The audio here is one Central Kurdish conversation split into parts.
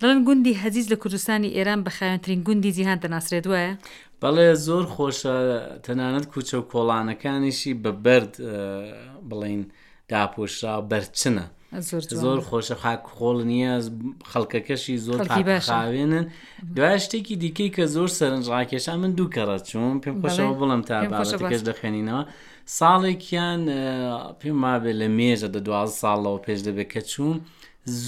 دەڵێن گوندی هەجیج لە کوردستانی ئێران بە خاوێنترین گوندی جیهان دەناسرێت وایە؟ بەڵێ زۆر خۆشە تەنانەت کوچە و کۆڵانەکانیشی بە بەرد بڵین داپۆشرا بەرچنە زۆر خۆشە خاک خۆڵ نییە خەڵکەکەشی زۆر خاوێنن دوای شتێکی دیکەی کە زۆر سەرنج ڕاکێشا من دوو کەڕە چوون پێم خۆشەوە بڵم تا بابەتەکەش دەخوێنینەوە ساڵێکیان پێم وابێ لە مێژە دە دوازدە ساڵەوە پێش دەبێت کە چووم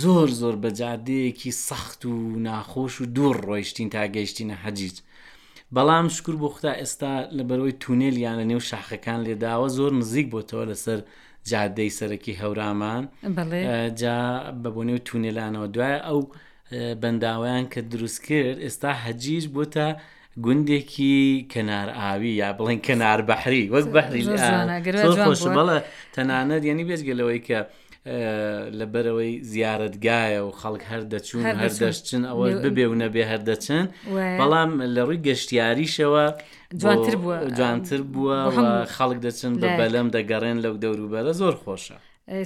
زۆر زۆر بە جادەیەکی سەخت و ناخۆش و دوور ڕۆیشتین تا گەیشتینە حەجیج بەڵام شکر بۆ خدا ئێستا لە بەرەوەی تونێلیان لە نێو شاخەکان لێداوە زۆر نزیک بۆتەوە لەسەر جادەی سەرەکی هەورامان جا بە بۆنێو تونێلانەوە دوای ئەو بەنداوەیان کە دروست کرد ئێستا هەجیج بۆتە گوندێکی کەنار ئاوی یا بڵێن کەنار بەحری وەک بەحری زۆر خۆشە بەڵێ تەنانەت یعنی بێجگە لەوەی کە لەبەرەوەی زیارەتگایە و خەڵک هەر دەچوون هەر دەشچن ئەوە ببێ و نەبێ هەر دەچن بەڵام لە ڕووی گەشتیاریشەوە جوانتر بووە جوانتر بووە خەڵک دەچن بە بەلەم دەگەڕێن لەو دەوروبەرە زۆر خۆشە.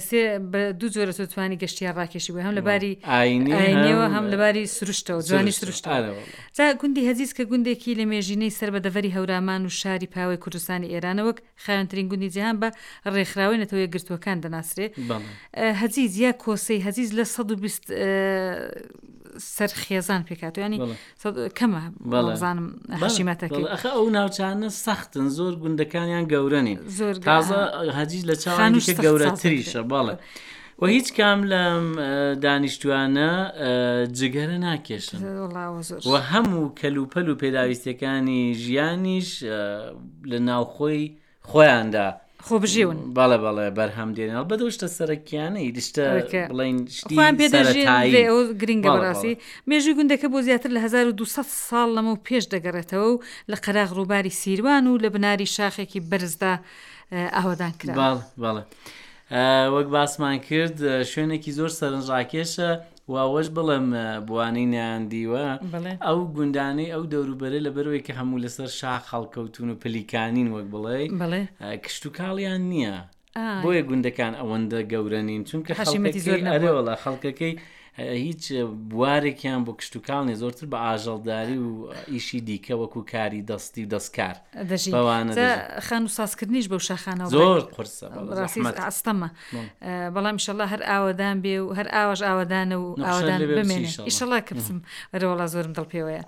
سێ بە دوو جۆرە تۆ توانی گەشتیار ڕاکێشی بووی هەم لە باری ئاینیەوە هەم لە باری سروشتەوە جوانی سروشتەوە جا گوندی هەزیز کە گوندێکی لە مێژینەی سەر بە دەڤەری هەورامان و شاری پاوەی کوردستانی ئێرانە وەک خاوێنترین گوندی جیهان بە ڕێکخراوەی نەتەوە یەکگرتووەکان دەناسرێ هەزیز یا کۆسەی هەزیز لە 120 سەر خێزان پێکاتوە ینی کەمە بەڵزانم حشیمەتەکەی ئەخە ئەو ناوچانە سەختن زۆر گوندەکانیان گەورە نین زۆر تازە هەجیز لە چاوانیشە گەورەتریشە بەڵێ و هیچ کام لەم دانیشتوانە جگەرە ناکێشن و هەموو کەلوپەل و پێداویستەکانی ژیانیش لە ناوخۆی خۆیاندا خۆبژێون. بەڵێ بەڵێ بەرهەم دێنن هەڵبەت ئەو شتە سەرەکیانەی شتە ئەوەی کە بڵێین شتی خۆیان پێ دەژێن سەرەتایی لێ ئەوە گرنگە بەڵێ بەڕاستی بەڵێ. مێژووی گوندەکە بۆ زیاتر لە 1200 ساڵ لەمەو پێش دەگەڕێتەوە و لە قەراغ ڕووباری سیروان و لە بناری شاخێکی بەرزدا ئاوەدان کراوە. بەڵێ بەڵێ وەک باسمان کرد شوێنێکی زۆر سەرنجڕاکێشە و ئەوەش بڵێم بۆوانەی نەیاندیوە ئەو گوندانەی ئەو دەوروبەرە لەبەرەوەی کە هەموو لەسەر شاخ هەڵکەوتون و پلیکانین وەک بڵێ کشتتوکاڵیان نییە بۆیە گوندەکان ئەوەندە گەورە نین چونکە حەشیمەتی زۆر ئەرێوەڵە خەڵکەکەی هیچ بوارێکیان بۆ کشتتوکاڵ نیە زۆرتر بە ئاژەڵداری و ئیشی دیکە وەکو کاری دەستی و دەستکار دەژین بەوانە جا دەژین. خانوو سازکردنیش بەو شاخانەوە زۆر بڕێک قورسە بەڵێ ڕاستی زەحمەتە. ئەستەمە بەڵێ. بەڵام ئیشەڵا هەر ئاوەدان بێ و هەر ئاواش ئاوەدانە و نەخشەت ئاوەدان لێ بێ بچی بمێنێ ئیشەڵا. ئیشەڵا کە بچم ئەرێ وەڵا زۆرم دڵ پێوەیە.